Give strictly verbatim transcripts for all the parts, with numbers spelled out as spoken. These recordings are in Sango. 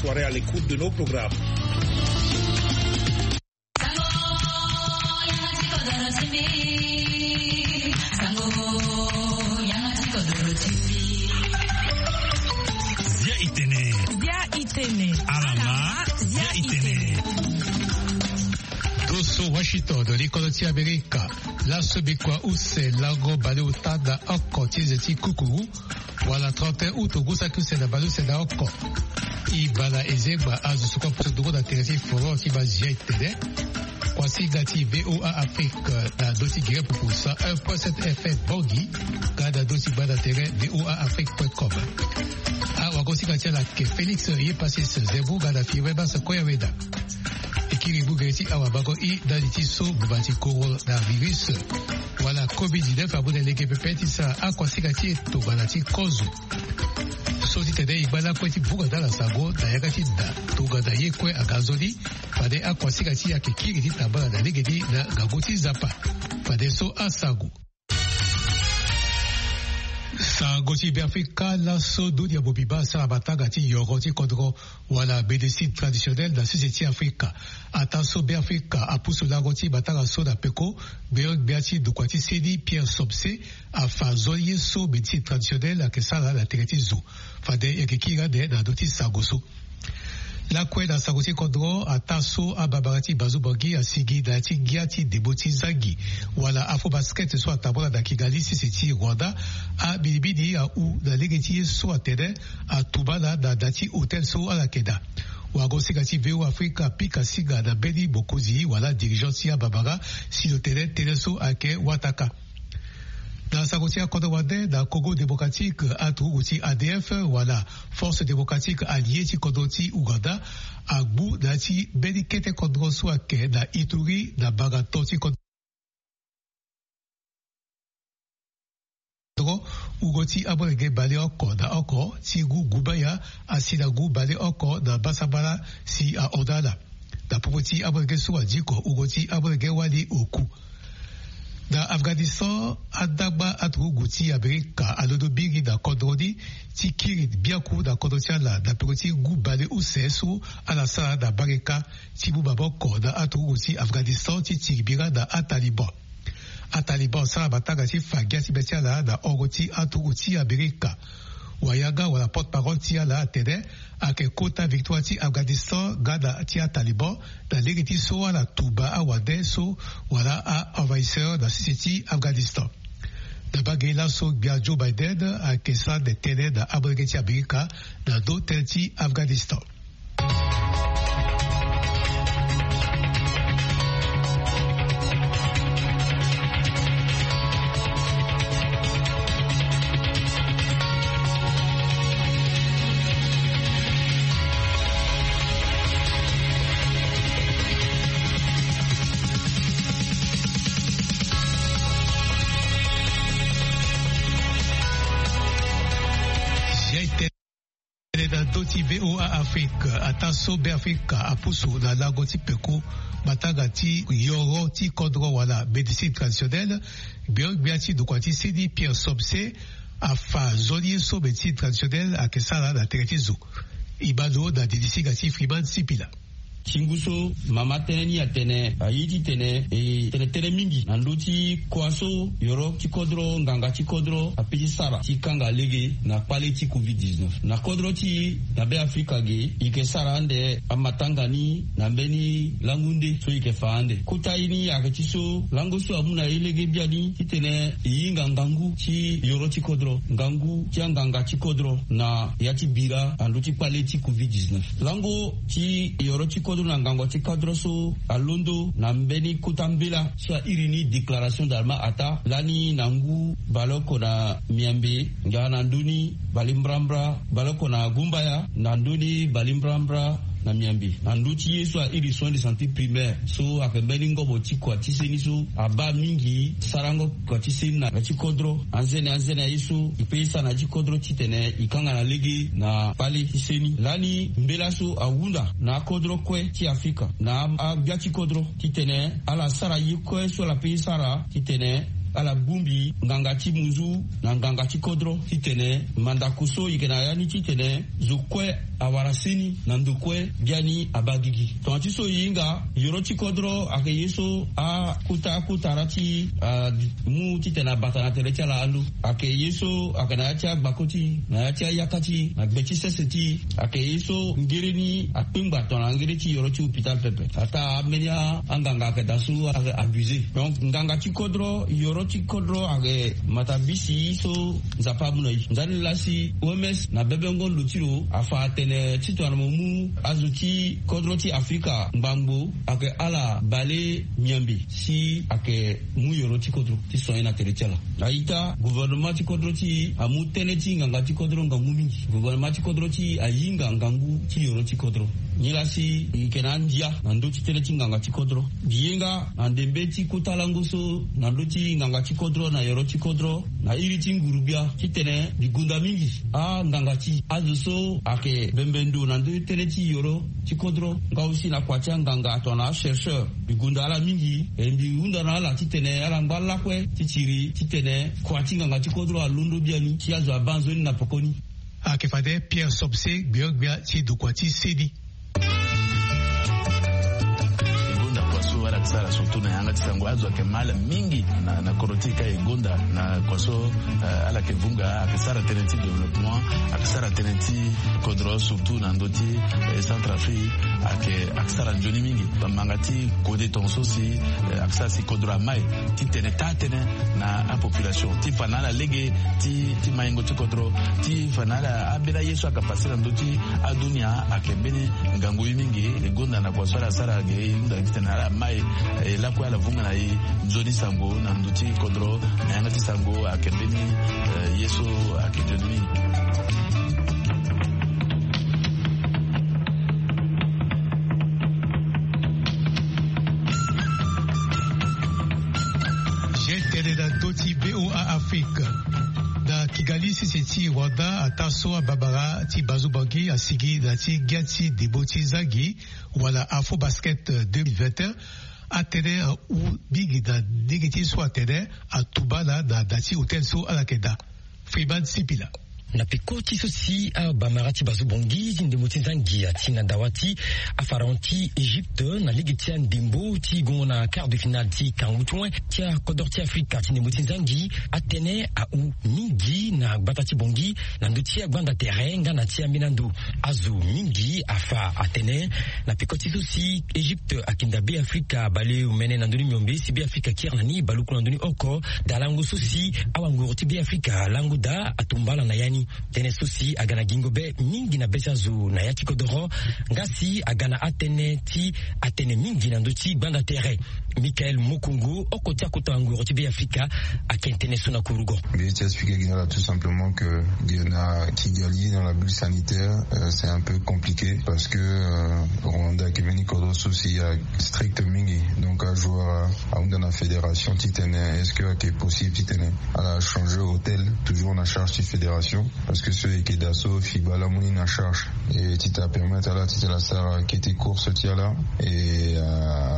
Soirée à l'écoute de nos programmes. Zia itene. Zia itene. Alama. Zia itene. Doso Washington, likolo ti Amerika. Laso bikua use lango baleota na oko ti eze ti kukuru. Wala trente et un août, ngu saki use na baleuse na oko. E bala ezengba azo so kue apusu nduru na tere ti foro ti bazia etene. Kuasinga ti VOA Afrique na ndö ti Guinée pupu cent un point sept F M Bangui, nga na ndö ti gbanda tere V O A Afrique point com. Awagosinga ti ala ake Félix Yepasis Zembu nga na Firmin Bas Koyaweda. E kiri ngu gere ti awabango i ndali ti so ngbuma ti coronavirus wala covid dix-neuf amu na lege pepe ti sara akuasinga ti e tongana ti kozo. So ti tene e ngba lakue ti bunga ndala sango na yanga ti da tongana ye kue aga nzoni. Fade akuasinga ti e ayeke kiri ti tambala na lege ni na ngangu ti Nzapa. Fade so asango. Sango ti Beafrika. Laso dunia mobimba asara matanga ti yoro ti kodro wala médecine traditionnelle na sese ti Afrika. Ataa so Beafrika apusu lango ti matanga so na peko, gbeogbia ti ndokua ti seni Pierre Somse afa nzoni ye so médecine traditionnelle ayeke sara na tere ti zo. Fade e yeke kiri ande na ndö ti sango so. Lakue na sango ti kodro, ataa so ababara ti Bazu Bangui asigi na ya ti ngia ti ndembo ti zangi wala Afrobasket so atambula na Kigali sese ti Rwanda, aminimini ahu na lege ti ye so atene atumba ala na da ti hôtel so ala yeke daa. Wagosinga ti V O A Afrika apika singa na mbeni mokonzi wala dirigeant ti ababara si lo tene tënë so ayeke wataka. Na sango ti akodro wande, na Congo Démocratique, aturugu ti A D F wala Force Démocratique Alliée ti kodro ti Ouganda agbu na ya ti mbeni kete kodro so ayeke na Ituri na mbanga to ti kodro. Wungo ti amolenge baleoko na oko ti ngu gumbaya asi na ngu baleoko na mbasambala si ahon na ala. Na popo ti amolenge so adiko, wungo ti amolenge wali oku. Na Afghanistan, andagba aturugu ti Amerika alondo mingi na kodro ni ti kiri biaku na kodro ti ala na peko ti ngu baleuse so ala sara na mbageka ti mu maboko na aturugu ti Afghanistan ti tiri bira na aTaliban. ATaliban asara matanga ti fa ngia ti be ti ala na hongo ti aturugu ti Amerika. Wayanga wala porte-parole ti ala atene ayeke kota victoire ti Afghanistan nga na ti aTaliban na lege ti so ala tumba awande so wala a-envahisseur na sese ti Afghanistan. Na mbage laso, gbia Joe Biden ayeke sara ande tënë na amolenge ti Amerika na ndö tënë ti Afghanistan. Tene na ndö ti V O A Afrique, ataa so Beafrika apusu na lango ti peko matanga ti yoro ti kodro wala médecine traditionnelle, gbeogbia ti ndokua ti seni Pierre Somse afa nzoni ye so médecine traditionnelle ayeke sara na tere ti zo. E ma lo na didi singa ti Freeman Sipila. Ti ngu so mama tënë ni atene aye titene e tene tënë mingi na ndö ti kua so yoro ti kodro, nganga ti kodro ape ti sara ti kanga lege na kpale ti covid dix-neuf. Na kodro ti e na Beafrika ge, e yeke sara ande amatanga ni na mbeni langu nde so e yeke fa ande. Kota ye ni ayeke ti so lango so amu na e lege biani titene e hinga ngangu ti yoro ti kodro, ngangu ti anganga ti kodro na ya ti bira na ndö ti kpale ti covid dix-neuf. Lango ti yoro ti kodro na ngangu ti kodro so alondo na mbeni kota mbela so a iri ni déclaration d'alma ata lani na ngu baleoko na miambe nga na ndö ni balembrambra baleoko na gumbaya, na ndö ni balembrambra na miambe. Na ndö ti ye so a iri soin de santé primaire so ayeke mbeni ngobo ti kua ti seni so abaa mingi sarango kua ti seni na ya ti kodro. Anzene anzene aye so e pe e sara na ya ti kodro titene e kanga na lege na kpale ti seni. Lani mbela so ahunda na akodro kue ti Afrika na agbia ti kodro titene ala sara ye kue so ala pe e sara titene ala bongbi nganga ti munzu na nganga ti kodro titene mandako so e yeke na ya ni titene zo kue awara seni na ndo kue. Biani abaa gigi tongana ti so e hinga yoro ti kodro ayeke ye so akota akota ra ti mu titene abata na tere ti ala ando. Ayeke ye so ayeke na ya ti agbako ti na ya ti ayaka ti na gbe ti sese ti ayeke ye so ngere ni akpengba tongana ngere ti yoro ti hôpital pepe. Ataa ambeni anganga ayeke daa so ayeke abusé. Donc nganga ti kodro yoro ti kodro ayeke matabisi so nzapa amu na e. Ndani laa si oms na bebengo ndo ti lo afa atene titongana mo mu azo ti kodro ti afrika ngbangbo ayeke ala balenyambe si ayeke mu yoro ti kodro ti soigné na tere ti ala. Aita gouvernement ti kodro ti e amu tënë ti nganga ti kodro ngangu mingi. Gouvernement ti kodro ti e ahinga ngangu ti yoro ti kodro. Nilaa si e yeke na andia na ndö ti tënë ti nganga ti kodro. Mbi ye nga na ndembe ti kota lango so na ndö ti nganga ti kodro na yoro ti kodro na iri ti ngurugbia titene mbi gonda mingi anganga ti azo so ayeke bembe ndo na ndö ti tënë ti yoro ti kodro nga aussi na kua ti anganga tongana achercheur. Mbi gonda ala mingi e mbi hunda na ala titene ala ngba lakue ti tiri titene kua ti nganga ti kodro alondo biani si azo abaa nzoni na pekoni. Ayeke fade Pierre Somse gbio-gbia ti dokua ti seni. E gonda kua so ala yeke sara surtout na yanga ti sango azo ayeke ma ala mingi na kodro ti e ka e gonda na kua so ala yeke vunga ayeke sara tënë ti développement ayeke sara tënë ti kodro surtout na ndö ti centre afrique. Ayeke sara nzoni mingi bamanga ti kode tongaso si ayeke sara si kodro ama e titene taa tënë na apopulation ti fa na ala lege ti maingo ti kodro ti fa na ala ambeni aye so ayeke pase na ndö ti adunia ayeke mbeni ngangu ye mingi. E gonda na kua so ala sara ge e hunda titene ala ma e lakue ala vunga na e nzoni sango na ndö ti kodro na yanga ti sango ayeke mbeni ye so ayeke nzoni mingi. Tene na ndö ti voa afrique na kigali sese ti rwanda ataa so ababara ti bazubangi asigi na ti ngia ti ndembo ti zangi wala afro basket deux mille vingt et un. Atene ahu mingi na ndenge ti so atene atumba na na da ti hotel so ala yeke daa. Freeman sipila. Na peko ti so si abamara ti bazubongi ti ndembo ti zangi ati na dawa ti afaraon ti egypte na lege ti andembo ti gongo na quart de finale ti kangu ti wen ti akodro ti afrika ti ndembo ti zangi atene ahu mingi na gbata ti bongi na ndö ti agbanda tere nga na ti ambeni ando. Azo mingi afa atene na peko ti so si egypte akinda be afrika baleomene na ndö ni miombe si be afrika kiri na ni baluku na ndö ni oko. Daa lango so si awanguru ti be afrika lango daa atumba ala na ya ni. Tënë so si aga na gingo be mingi na be ti azo na ya ti kodoro nga si aga na atënë ti atënë mingi na ndö ti gbanda tere. Michael mokongo oko ti akota nguru ti be afrika ake tënë so na kurugo. Mbi ye ti expliquer gi na ala tout simplement que gi na kigali dans la bulle sanitaire, c'est un peu compliqué parce que rwanda ake mbeni kodro so si ya strict mingi. Donc ajoueur ahunda na fédération titene est-ce que ake possible titene ala changer hôtel toujours na charge ti fédération. Parce que so eke daa so fiba ala mu ni na charge e titene apermettre ala titene asara kete course ti ala e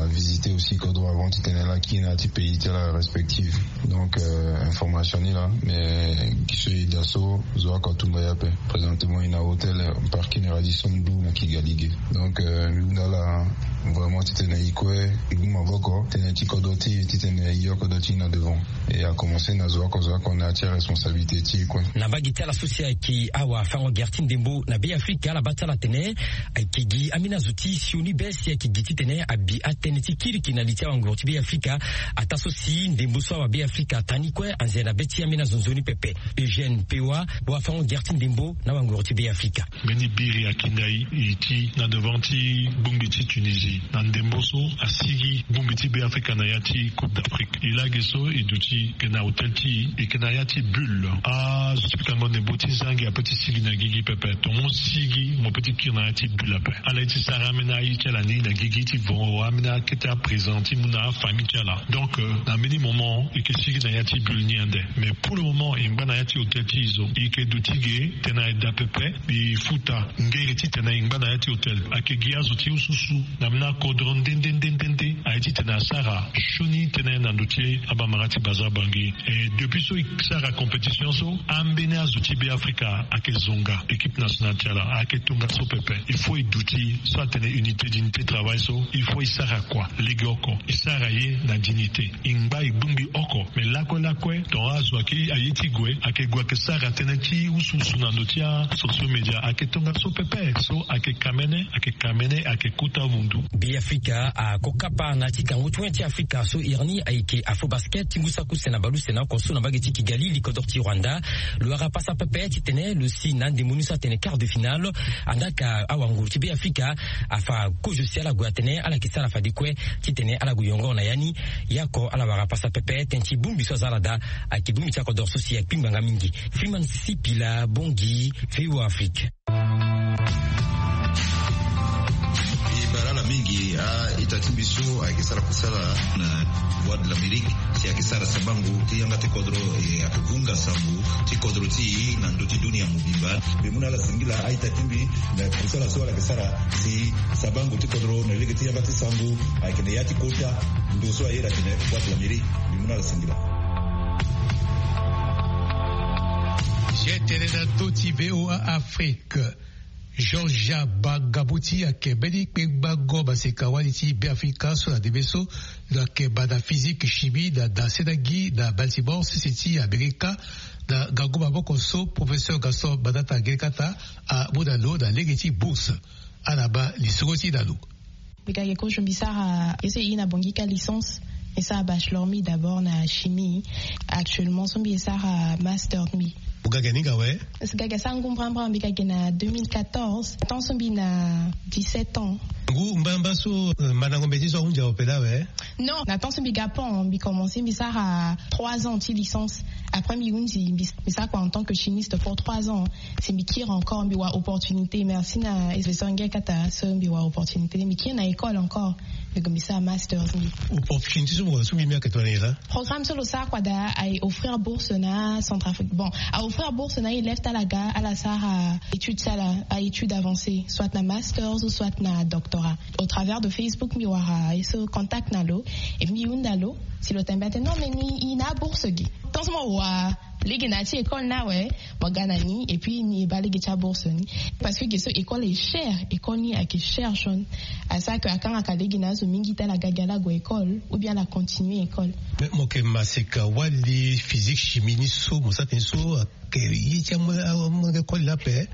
avisiter aussi kodro avant titene ala kiri na ya ti pays ti ala respective. Donc information ni laa mais gi so e daa so zo oko atumba ye ape. Présentement e na hôtel parking radisson blue na kigali ge. Donc mbi hunda ala vraiment titene e kue e mu maboko tënë ti kodro ti e titene e yo kodro ti e na devant. E akomense na zo oko zo oko na ya ti aresponsabilité ti e kue. Na mbage ti ala so si ayeke awafango gere ti ndembo na be afrika ala baa ti ala atene ayeke gi ambeni azo ti sioni be si ayeke gi titene abi atënë ti kiriki na li ti awanguru ti be afrika. Ataa so si ndembo so awa be afrika ata ni kue anzere na be ti ambeni azo nzoni pepe. Eugène pewa wafango gere ti ndembo na wanguru ti be afrika. Mbeni biri akinda e ti na devant ti gbongbi ti tunisie na ndembo so asigi gbongbi ti be afrika na ya ti coupe d'afrique. E lage so e duti ke na hôtel ti e e ke na ya ti bulle. Azo ti pikango ndembo ti zangi ape ti sigi na gigi pepe tonga mo sigi mo pe ti kiri na ya ti bulle ape. Ala ye ti sara ambeni aye ti ala ni na gigi ti vongo ambeni akete aprésident ti mu na afamille ti ala. Donc na mbeni moment e ke sigi na ya ti bulle ni ande. Mais pour le moment e ngba na ya ti hôtel ti e zo e ke duti ge tena e daa pepe. E futa ngere titene e ngba na ya ti hôtel. Ayeke gi azo ti ususu na Na kodro nde nde nde nde nde aye titene asara sioni tënë na ndo ti abamara ti Bazar Bangui. E depuis so e sara compétition so, ambeni azo ti Beafrika ayeke zonga équipe nationale ti ala, ayeke tongaso pepe. Il faut e duti so atene unité d'unité travail so, il faut e sara kua legeoko, e sara ye na dignité. E ngba e bongbi oko. Me lakue lakue, tongana azo ayeke aye ti gue, ayeke gue ayeke sara tënë ti wusuwusu na ndo ti asociaux média, ayeke tongaso pepe. So ayeke kamene, ayeke kamene, ayeke kota vundu. Beafrika akokapa na ti kango ti wen ti Afrika so iri ni ayeke Afrobasket ti ngu saki use na baleuse na oko so na mbage ti Kigali, li kodro ti Rwanda. Lo wara pasa pepe titene lo si na ndemoni so atene quart de finale. Andaa ka awanguru ti Beafrika afa kozo si ala gue atene ala yeke sara fade kue titene ala gue yongo na ya ni. Yaoko ala wara pasa pepe tënë ti bongbi so aza ala daa. Ayeke bongbi ti akodro so si akpingbanga mingi. Freeman Sipila, Bangui, V O A Afrique. E bara ala mingi a-ita ti mbi so ayeke sara kusala na Voix de l'Amérique, si ayeke sara sabango ti yanga ti kodro, e ayeke vunga sango ti kodro ti e na ndö ti dunia mobimba. Mbi mu na ala singila a-ita ti mbi na kusala so ala yeke sara si sabango ti kodro na lege ti yanga ti sango ayeke na ya ti kota ndo so a iri atene Voix de l'Amérique. Mbi mu na ala singila. Ye tene na ndö ti V O A Afrique. Georgia Bagaboti ayeke mbeni kpengbango maseka-wali ti Beafrika so na ndembe so lo yeke baa na physique chimie na dasenagi na Baltimore, sese ti Amerika. Na ngangu maboko so, professeur Gaston Matata Ngelekata amu na lo na lege ti bourse. Ala baa lisoro ti e na lo. Mbi ga ge kozo mbi sara ye so e iri na Bangui ka licence. Mbi sara bachelor mbi d'abord na chimie. Actuellement so mbi sara master mbi. Mo ga ge na hinga awe? Parce que ga ge asara ngu mbrambra, mbi ga ge na deux mille quatorze, temps so mbi na dix-sept ans. Ngu mbrambra so, euh, mandango mbeti so ahunzi awe pela awe? Non, na temps so mbi ga pont mbi commencer mbi sara trois ans ti licence. Après mbi hunzi mbi, mbi sara kua en tant que chimiste pour trois ans. Si mbi kiri encore mbi wara opportunité, merci na professeur Ngelekata so mbi wara opportunité, mbi kiri na école encore. Mbi gue mbi sara masters mbi. Opportunité so mo wara so mbi, mbi ayeke tongana nyen laa? Programme so lo sara kua daa aye offrir bourse na Centrafrique. Bon, a offrir bourse na élève ti ala ga ala sara étude ti ala, a-étude avancée, soit na masters ou soit na doctorat. Au travers de Facebook mbi wara ye so contact na lo. Et mbi hunda lo si lo tene mbi atene non, mais ni e na abourse ge. Tant so mo wara lege na ya ti école ni awe, mo ga na ni et puis ni e baa lege ti abourse ni. Parce que ge so école est cher, école ni ayeke cher jaune. Asara que akangaka lege na azo mingi ti ala ga ge ala gue école ou bien ala continuer école. Mais mo yeke maseka-wali physique chimie ni so mo sara tënë so ayeke ye ti amolenge koli laa ape?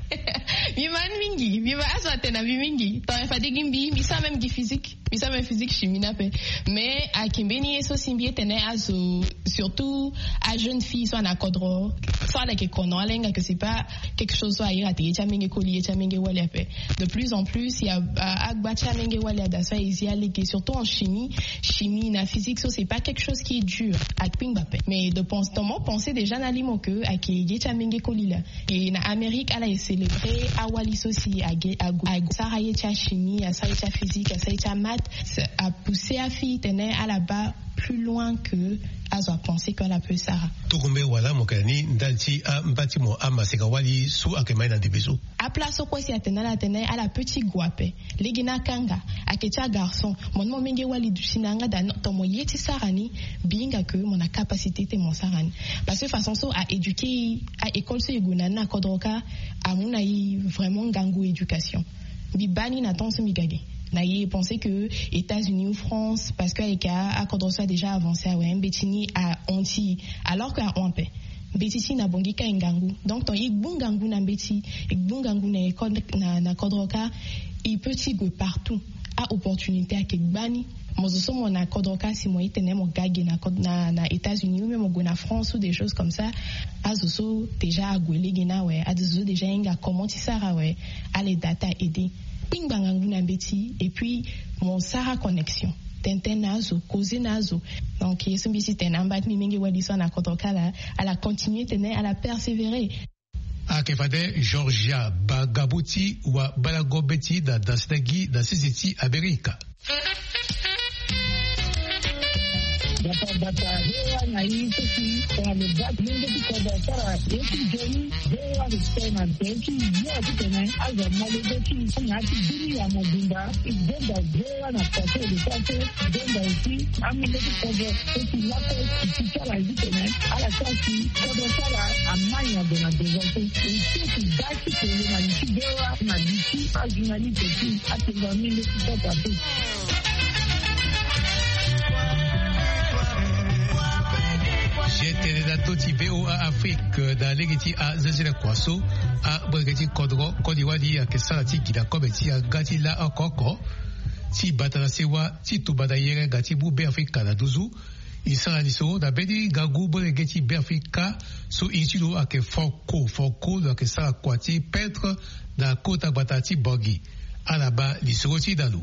Mbi ma ni mingi, mbi ma azo atene na mbi mingi. Tongana fade gi mbi, mbi sara même gi physique. Mbi sara même physique chimie ni ape. Mais ayeke mbeni ye so si mbi ye tene azo, surtout ajeune fille so ana kodro, so ala yeke kono, ala hinga que c'est pas quelque chose so a iri atene ye ti amolenge koli, ye ti amolenge wali ape. De plus en plus il y a, a, agba ti amolenge wali ada so aye zi alege, surtout en chimie. Chimie na physique so c'est pas quelque chose qui est dur, akpingba ape. Mais de pense, dans mon pensée déjà na limo que ayeke ye ti amolenge koli laa. Et na Amérique ala e célébrer awali so si age, ague, ague sara ye ti achimie, asara ye ti aphysique, asara ye ti amaths, a pousser afille tene ala baa plus loin que azo apenser que ala peut sara. Tongombe wala mo yeke na ni ndali ti amba ti mo amaseka-wali so ayeke ma ye na ndembe so? Aplace so kue si atene ala tene ala peut ti gue ape. Lege ni akanga, ayeke ti agarçon. Mo ni mo menge wali duti na yanga daa, non, tongana mo ye ti sara ni, mbi hinga que mo na capacité ti mo sara ni. Parce que façon so a éduquer e, a école so e gue na ni na kodro kâ, amu na e vraiment ngangu éducation. Mbi baa ni na temps so mbi ga ge. Na e penser que États-Unis ou France, parce que ayeke a, akodro so a déjà avancé awe, mbeti ni ahon ti e. Alors que ahon ape. Mbeti ti e na Bangui kâ e ngangu. Donc tongana e gbu ngangu na mbeti, e gbu ngangu na école, na, na kodro kâ, e peut ti gue partout. A-opportunité ayeke gbani. Mo zo so mo na kodro kâ, si mo ye tene mo ga ge na kod-, na, na États-Unis ou même mo gue na France ou des choses comme ça, azo so déjà ague lege ni awe, azo so déjà ahinga comment ti sara awe, ala daa ti a-aider. Kpingba ngangu na mbeti, et puis mo sara connexion. Tene tënë na azo, causer na azo. Donc ye so mbi si tene na amba ti mbi menge wali so ana kodro kâ laa, ala continuer tene, ala persévérer. Ayeke fade Georgia Bagaboti wa balago mbeti na dasenagi na sese ti Amerika. Bata bata, V O A na i so si tongana lo ga ti lenge ti kodro asara ye ti nzoni, V O A respect na nze ti yo ti tene azo amolenge ti na ya ti bini ya mobimba. I zonza V O A na kua so e lo sara so, i zonza aussi amolenge ti kodro so si laso e ti ti sara ye ti tene ala sara si kodro ti ala amai na ndo na devant so. E ti e ti ga ti tene na li ti V O A na li ti ajournaliste ti atene na mbi nde ti sota so. Je tene na ndö ti V O A Afrique na lege ti azezele kua so, amolenge ti kodro koli wali ayeke sara ti gi na kobe ti aga ti la oko oko ti bata na sewa ti tumba na yere nga ti mu Beafrika na nduzu. E sara lisoro na mbeni ngangu molenge ti Beafrika so iri ti lo ayeke Franco. Franco lo ayeke sara kua ti peintre na kota gbata ti Bangui. Ala baa lisoro ti e na lo.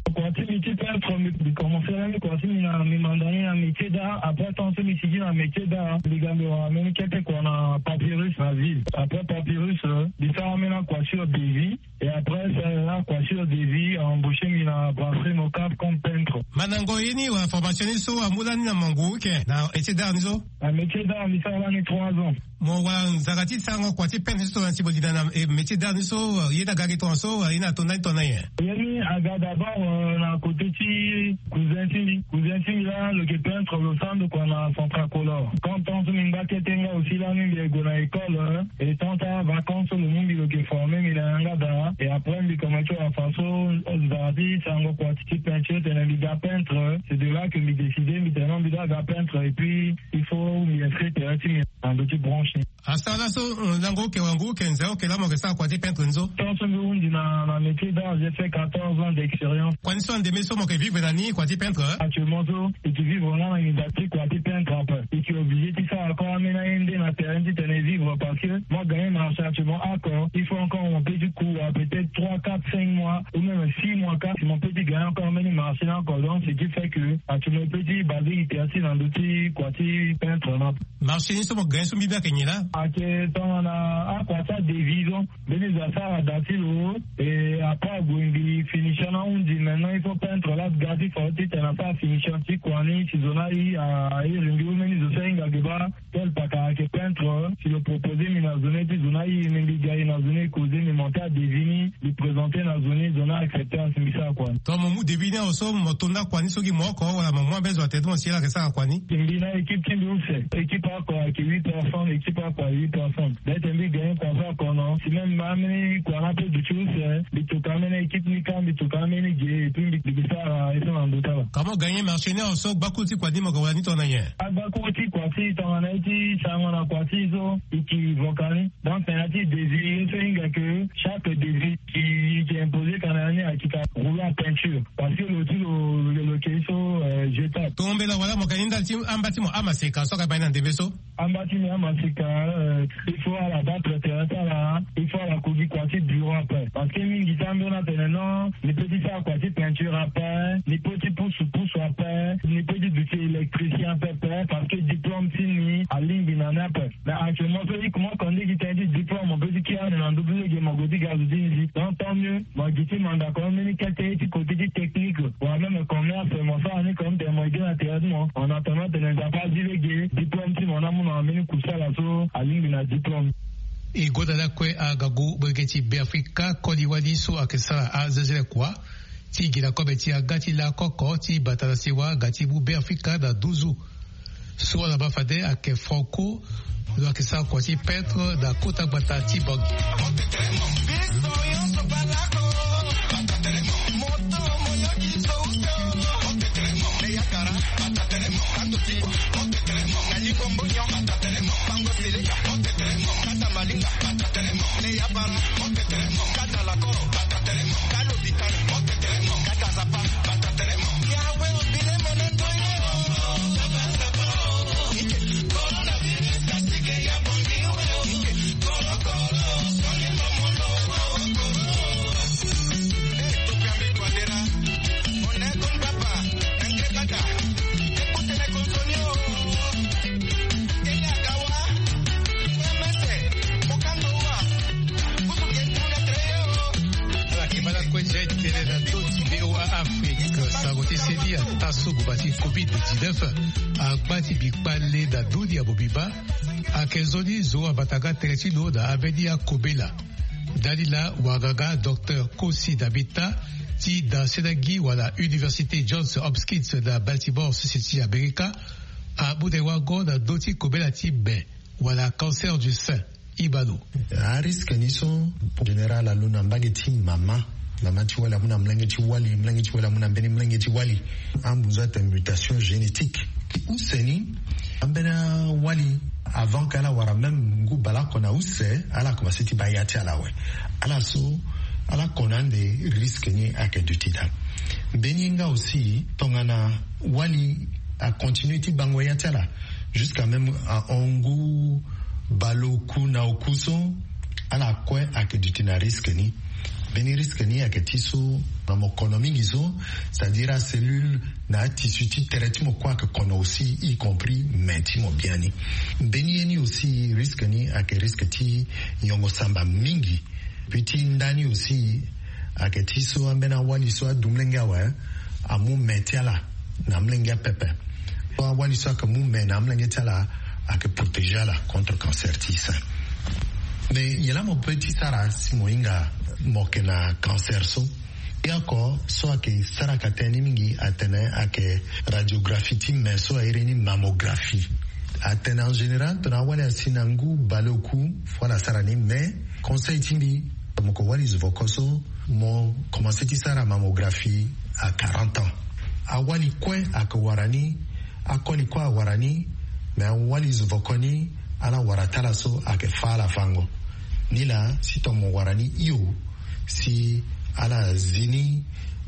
Kua ti mbi ti peintre, mbi, mbi commencé lani kua ti mbi na, mbi manda ni na métier d'art. Après, tant so mbi sigi na métier d'art, mbi ga mbi wara mbeni kete kua na Papyrus na ville. Après Papyrus, euh, mbi sara ambeni akua sur devis. Et après, c'est là, kua sur devis a embauché mbi na brasserie Mocap comme peintre. Mandango ye ni wala formation ni so amu lani na mangu ike na métier d'art ni so? Na métier d'art mbi sara lani trois ans. Mo wara nzara ti sarango kua ti peintre ni so na ti mo linda na, eh, métier d'art ni so, eh, ye ni aga gi tongaso, eh, ye ni ato ndani tongana nyen? Ye ni aga d'abord, euh, na côté ti cousin ti mbi. Cousin ti mbi laa lo yeke peintre, lo sara ndo kua na Centracolor. Quand tant so mbi ngba kete nga aussi lani mbi yeke gue na école, euh, et tant ti avacance so lo mu mbi lo yeke former mbi na yanga daa. Et après mbi commencé wara façon, euh, nzara ti sarango kua ti peinture, tene mbi ga peintre. C'est de là que mbi décidé mbi tene non mbi doit ga peintre et puis il faut mbi inscrire tere ti mbi na ndo ti branche ni. Asara laso, euh, lango oke, wango oke, nze oke laa mo yeke sara kua ti peintre ni so? Tant so mbi hundi na, na métier d'art, j'ai fait quatorze ans d'expérience. Kua ni so andeme so mo yeke vivre na ni, kua ti peintre? Actuellement so, e yeke vivre nga na nginza ti kua ti peintre ape. E yeke obligé ti sara encore ambeni aye nde na terrain ti tene vivre parce que mo gagné marché actuellement oko, il faut encore mo peut ti ku, euh, peut-être trois, quatre, cinq mois ou même six mois kâ si mo peut ti gagné encore ambeni marché ni oko. Donc ce qui fait que actuellement e peut ti basé gi tere ti na ndo ti kua ti peintre ni ape. Marché ni so mo gagné so mbi bia ayeke nyen laa? Ayeke tongana akua ti adevis so, mbeni zo asara da ti lo, et après ague mbi finition ni ahundi, maintenant il faut peintre laa ga ti fa ti tene asara finition ti kua ni si zo ni aye, a iri mbi. Ou mbeni zo so ahinga ge baa tel paka ayeke peintre, si lo proposé mbi na zo ni ti zo ni aye, mbi ga e na zo ni e causé, mbi monté adevis ni, mbi présenté na zo ni, zo ni accepté asi mbi sara kua ni. Tongana mo mu devis ni awe so mo to nda kua ni so gi mo oko wala mo mu ambeni zo atene ti mo si ala yeke sara kua ni? Mbi na équipe ti mbi use. Équipe oko ayeke huit personnes, équipe oko ayeke huit personnes. Peut-être mbi gagné kua so oko non. Si même ambeni kua ni ape duti use, mbi toka ambeni équipe ni kâ, mbi toka ambeni ge, et puis mbi, mbi sara ye so na ndo ti ala. Comment gagné marché ni awe so, gbakuru ti kua ni mo ga wala ni tongana nyen? Agbakuru ti kua ti tongana ye ti sarango na kua ti so, e yeke voka ni. Donc tena ti devis ye so e hinga ke chaque devis ki, ki imposé kana ni ayeke rouleau à peinture. Parce que lo ti lo, lo, lo yeke so, euh, jetable. Tombela wala mo yeke ni ndali ti amba ti mo amaseka so aga baa ni na ndembe so? Amba ti mbi amaseka, euh, il faut ala battre terrain ti ala, il faut ala ku gi kua ti bureau ape. Parce que mingi ti ambeni atene non, ni peut ti sara kua ti peinture ape, ni peut ti pusu pusu ape, ni peut ti duti électricien pepe, parce que diplôme ti ni alingbi na ni ape. Mais actuellement so i kuma oko nde gi tënë ti diplôme, mo peut ti kiri ande na ndö ti lege mo gue ti ga zo ti ni si. Donc tant mieux, mo gi ti mandako mbeni kete ti côté ti technique wala même commerce, mo sara ni comme tene mo aidé na tere ti mo. En attendant tene Nzapa azi lege diplôme ti mo ni amu na mbeni kusala so alingbi na diplôme. E gonda lakue angangu molenge ti Beafrika koli wali so ayeke sara azezele kua ti gi na kobe ti aga ti lakoko ti bata na sewa nga ti mu Beafrika na nduzu. So ala baa fade ayeke Franco, lo ayeke sara kua ti peintre na kota gbata ti Bangui. Ago ti seni ata so guba ti covid dix-neuf agba ti bi kpale na ndoni ya mobimba. Ayeke nzoni zo abata nga tere ti lo na ambeni akobela. Ndani laa wanganga docteur Kosi Dabita ti da senagi wala Université Johns Hopkins na Baltimore, sese ti Amerika, amu na e wango na ndö ti kobela ti me wala cancer du sein. Ibalo. Ariske ni so, général alondo na mbage ti mama. Mama ti wali amu na molenge ti wali, molenge ti wali amu na mbeni molenge ti wali. Ambunzu atene mutation génétique. Use ni, ambeni awali, avant ke ala wara même ngu baleoko na use, ala komanse ti baa ya ti ala awe. Ala so, ala ko na ande, risque ni ayeke duti daa. Mbeni ye nga aussi, tongana wali acontinue ti bango ya ti ala jusqu'à même ahon ngu baleoku na oku so, ala kue ayeke duti na risque ni. Mbeni risque ni ayeke ti so, na mo kono mingi so, c'est-à-dire acellule na atissu ti tere ti mo kue ayeke kono aussi, y compris me ti mo biani. Mbeni ye ni aussi, risque ni ayeke risque ti nyongo samba mingi. Puis ti nda ni aussi, ayeke ti so ambeni awali so adu molenge awe, amu me ti ala na amolenge apepe. So awali so ayeke mu me na amolenge ti ala, ayeke protéger ala contre cancer ti sein. Mais nyen laa mo peut ti sara si mo hinga mo yeke na cancer so? Ye oko so ayeke saraka tënë ni mingi atene ayeke radiographie ti me so airi ni mammographie. Atene en général tongana awali asi na ngu baleoku, fo ala sara ni, mais conseil ti mbi, mo ke wali zovoko so, mo komanse ti sara mammographie à quarante ans. Awali kue ayeke wara ni, akoli kue awara ni, mais awali zovoko ni, ala wara ti ala so ayeke fâ ala fango. Nilaa si tongana mo wara ni hio, si ala zi ni,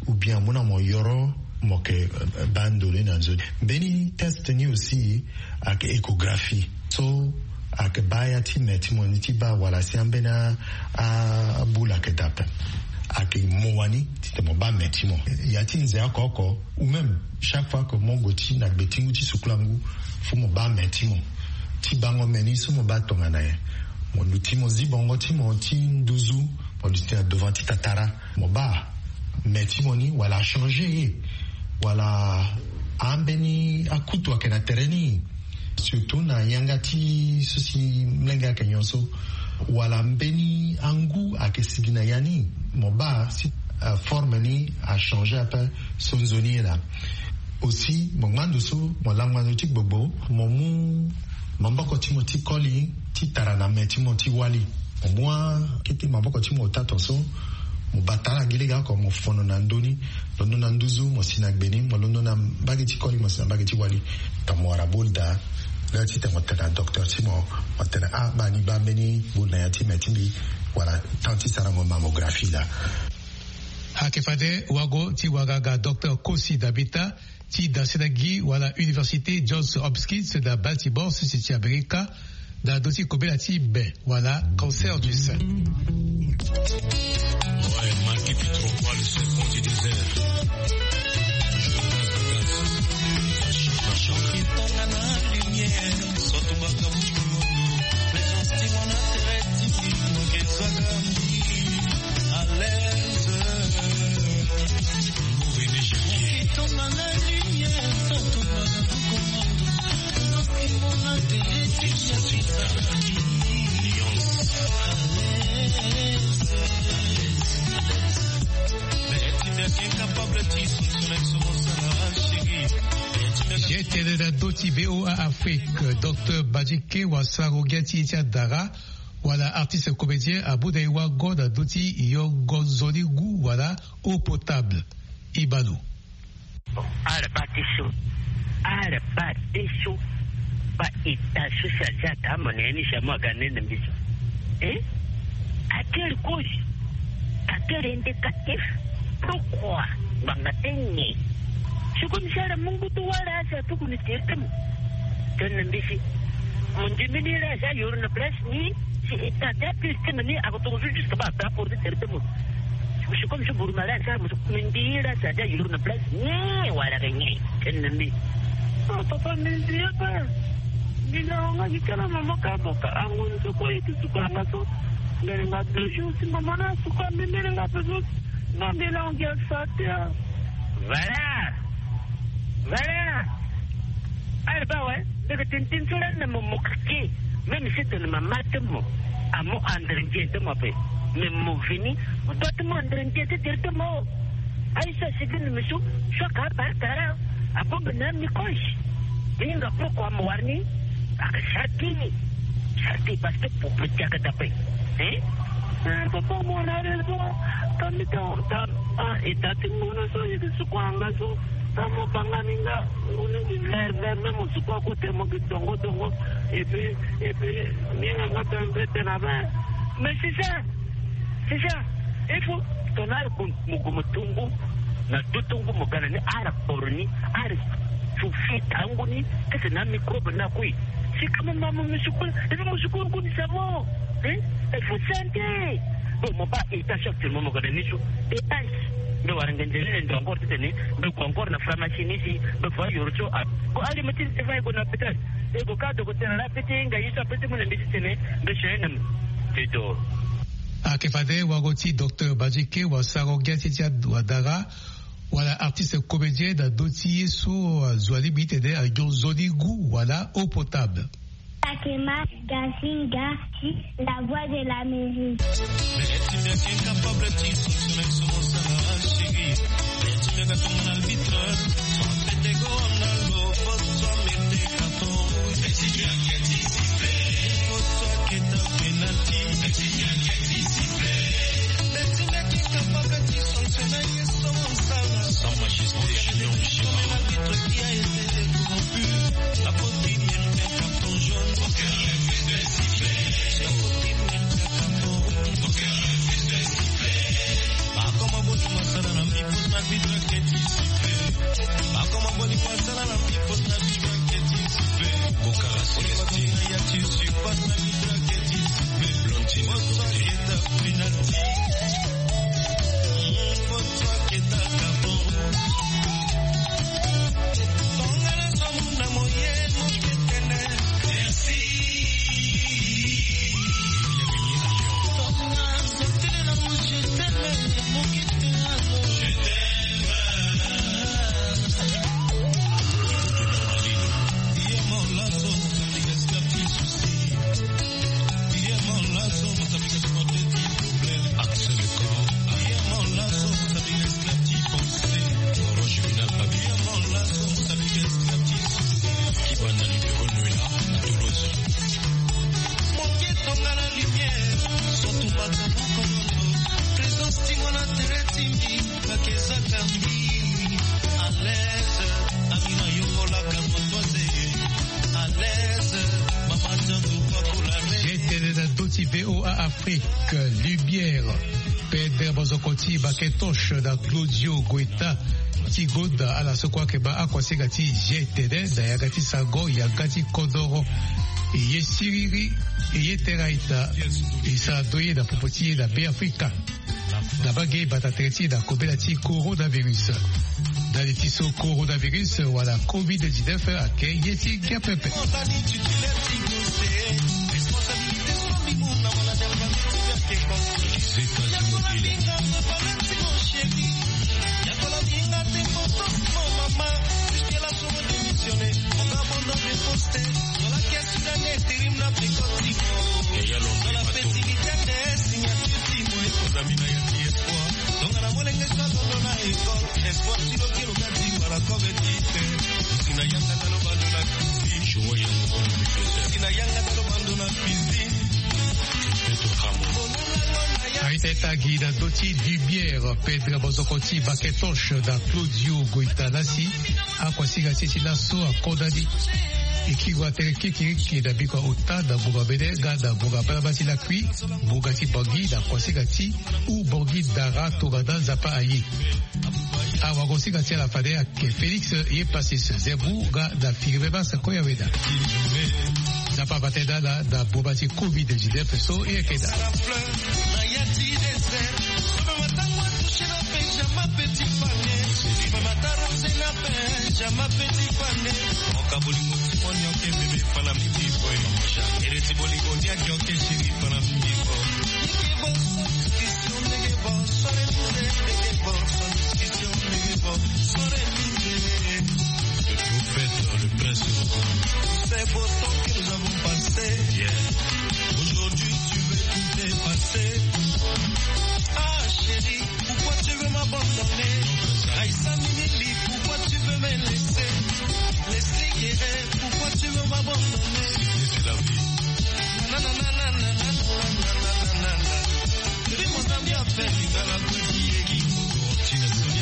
ou bien amu na mo yoro, mo yeke, euh, baa ndoni na nzoni. Mbeni test ni aussi ayeke échographie. So ayeke baa ya ti me ti mo ni ti baa wala si ambeni a, a, aboule ayeke daa ape. Ayeke mo wani titene mo baa me ti mo. Ya ti nze oko oko, ou même chaque fois que mo gue ti na gbe ti ngu ti sukulangu, fo mo baa me ti mo. Ti bango me ni so mo baa tongana nyen? Mo luti mo zi bongo ti mo ti nduzu, mo luti na devant ti tatara, mo baa me ti mo ni wala achangé ye, wala ambeni akutu ayeke na tere ni, surtout na yanga ti so si molenge ayeke nyon so, wala mbeni angu ayeke sigi na ya ni, mo baa si, euh, forme ni achangé ape so nzoni ye laa. Aussi mo ngba ndo so, mo langba ndo ti gbogbo, mo mu maboko ti mo ti koli ti tara na me ti mo ti wali. Mo mu akete maboko ti mo ota ton so, mo bata ala gi lege oko, mo fono na ndö ni, londo na nduzu, mo si na gbe ni, mo londo na mbage ti koli, mo si na mbage ti wali. Tongana mo wara boule daa, laa titene mo tene na docteur ti mo, mo tene ah, baa ni baa mbeni boule na ya ti me ti mbi, wala temps ti sarango mammographie laa. Ayeke fade wago ti wanganga docteur Kosi Dabita ti da senagi wala Université Johns Hopkins na Baltimore, sese ti Amerika, na ndö ti kobela ti me wala cancer du sein. Ouais, marqué plus trois fois le serpent du désert. Ye tene na ndö ti V O A Afrique, docteur Badjike Wasarogia ti ye ti adara, wala artiste comédien, amu na e wango na ndö ti yongo nzoni ngu wala eau potable. Ibalo. Bon, ala baa ti so, ala baa ti so, baa état so si aza ata mo na ya ni si amu aga nene mbeti. Eh? À quelle cause? À quel indicatif? Pourquoi? Ngbanga ti nyen? Si comme si ala mu ngu ti wâ laa si atuku ni tere ti mo. Tene na mbeti. Mo ndimi ni laa si ayoro na place ni, si état ti apire ti mo ni ako tongana so jusque baa ata apporter tere ti mo. Si comme si buru ma laa si ala mo so, mo ndi ye laa si aza yoro na place ni wala ke nyen? Tene na mbi. Ah, papa, mbi zi ye ape. Mbi lango nga gi kala mama ka mo ka ango ni so kue ye ti suku anga so. Mbi linga toujours si mama ni asuku ambi, mbi linga ape so. Non, mbi lango gi asa te ah. Voilà. Voilà. Ala baa awe. Ndeke tintin so lani na mo mokeke. Même si tene mama ti mo amu andre ndie ti mo ape, mais mo vini mo doit ti mu andre ndie ti tere ti mo. Aye so asigi ni misu so aka apara tara. Abongbi na ami koche. Ni hinga pourquoi mo wara ni? Aka sara ti ni. Sara ti parce que pour petit aka dape. Hein? Papa, mo na raison. Tami ta ta. Ah, e ta ti mo na so yeke suku anga so. Tamo banga ni nga. Mo ni di vert vert, même mo suku akote mo gi dongo dongo. Et puis, et puis, ni nga nga pe mpe tena be. Mais c'est ça. C'est ça. Il faut ton âme mo gue mo tongo. Na do tongo mo ga na ni, ala kporo ni, ala sufi tango ni. Kese na microbe na kui. Si kama mama musukula, ebi musukula kuni samo. Eh? Il faut santé. Bon, mo baa état actuellement mo ga na ni so. État. Mbe wara nge nzele ne ndo encore ti tene. Mbe gue encore na pharmacie ni si. Mbe fa yoro so a. Ko ali meti te fa e gue na hôpital. E gue ka dogo tene la peti nga yi so a peti mo na mbi ti tene. Mbe chene na mo. Te do. Ayeke fade wago ti docteur Badjike wasaro gia ti ti awadara. Wala artiste comédien na do ti ye so azo alingbi ti tene anyon nzoni ngu wala eau potable. Takema Gazinga, la voix de l'Amérique. Tene na do ti V O A Afrique, Lumière. Pedre bozoko ti Baketos na Claudio Guetta ti gonda ala so kue ayeke baa akuasinga ti G T D na yanga ti sango yanga ti kodoro. E ye siriri, e ye tera ita, e sara ndo ye na popo ti ye na Beafrika. Na bage bata tere ti e na kobela ti coronavirus. Ndali ti so coronavirus wala covid dix-neuf ayeke ye ti ngia pepe. Aita e tagi na ndö ti Lumière, Pedre Bozoko ti Baketos na Claudio Goita Nasi. Akuasinga ti e ti laso akodani. E kiri wa tere kirikiriki na biko ota na ngonga mene nga na ngonga balabala ti lakui, ngonga ti Bangui na kuasinga ti u Bangui dara tongana Nzapa aye. Awagosinga ti ala fade ayeke Félix Yepasis Zebou nga na Firme Mars Koyaweda. Nzapa abate na ala na boma ti covid dix-neuf so e yeke daa. Pôs